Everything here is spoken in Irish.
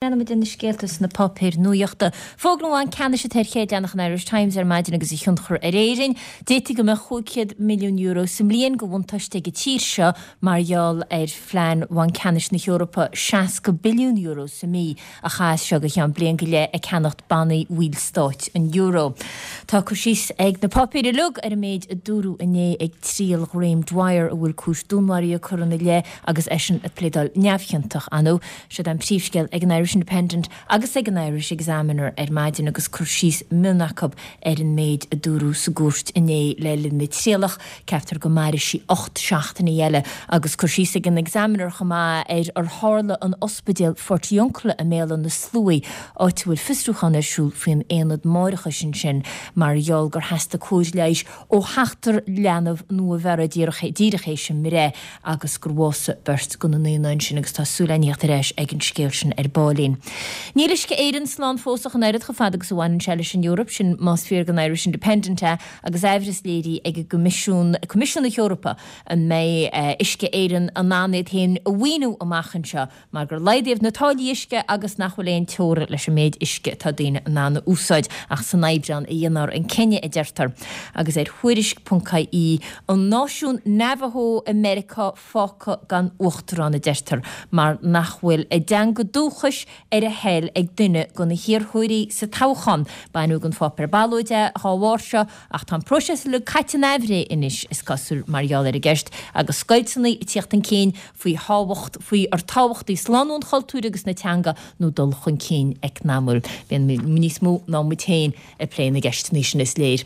Leanfaidh muid na scéalta sna páipéir nuachta. Fógra an Bhainc Ceannais atá ar chéad leathanach an Irish Times ar maidin agus a thionchar ar Éirinn. D'fhéadfadh go mbeadh €500 milliún sa mbliain de bhuntáiste ag an tír seo mar gheall ar phlean Bhanc Ceannais na hEorpa €60 billiún sa mí a chaitheamh as seo go ceann bliain go leith ag ceannacht bannaí bhaill stáit an euro. Tá cur síos ag na páipéir uilig ar an méid a dúradh inné ag triail Ghraham Dwyer a bhfuil cúis dúnmharaithe curtha ina leith agus eisean ag pléadáil neamhchiontach ann. Siod an príomhscéal ag an Irish Independent agus ag an Irish Examiner ar maidin agus cur síos mion acu ar an méid a dúradh sa gcúirt inné le linn na trialach. Ceaptar go mairfidh sí 8 seachtainí eile agus cur síos ag an Examiner chomh maith ar ar tharla in ospidéal Phortiuncula i mBéal Átha na Sluaighe, áit a bhfuil fiosrúchán ar siúl faoin aonad máithreachais ansin mar gheall gur theastaigh cóir leighis ó sheachtar leanbh nua-bheirthe díreach théis a mbreith agus gur bhásaigh beirt de na naíonáin sin agus tá súil againn theacht ar ais ag an scéal sin ar baillín. Níl Uisce Éireann slán fós ach an oiread chomh fada agus a bhaineann sé leis an Eoraip, sin más fíor don Irish Independent é, agus aimhreas léirithe ag an gCoimisiún, Coimisiún na hEorpa, an mbeidh Uisce Éireann in ann iad féin a mhaoiniú amach anseo mar gur laghdaíodh na táillí uisce agus nach bhfuil aon teora leis an méid uisce atá daoine in ann a úsáid ach san Aibreán a dhéanfar an cinneadh, a deirtear. Agus ar Thuairisc ponc ie, an náisiún Navajo i Meiriceá fágtha gan uachtarán, a deirtear, mar nach bhfuil a dteanga dúchais ar a thoil ag duine de na hiarrthóirí sa toghchán. Baineadh den pháipéar ballóide é dá bharr seo ach tá an próiseas uilig caite in aimhréidh anois, is cosúil, mar gheall ar an gceist agus scoilteanna ag tíocht chun cinn faoi thábhacht, faoi ar tábhachtaí slánú an chultúir agus na teanga nó dul chun cinn eacnamúil. Bíonn níos mó ná muid féin ag plé na gceisteanna sin, is léir.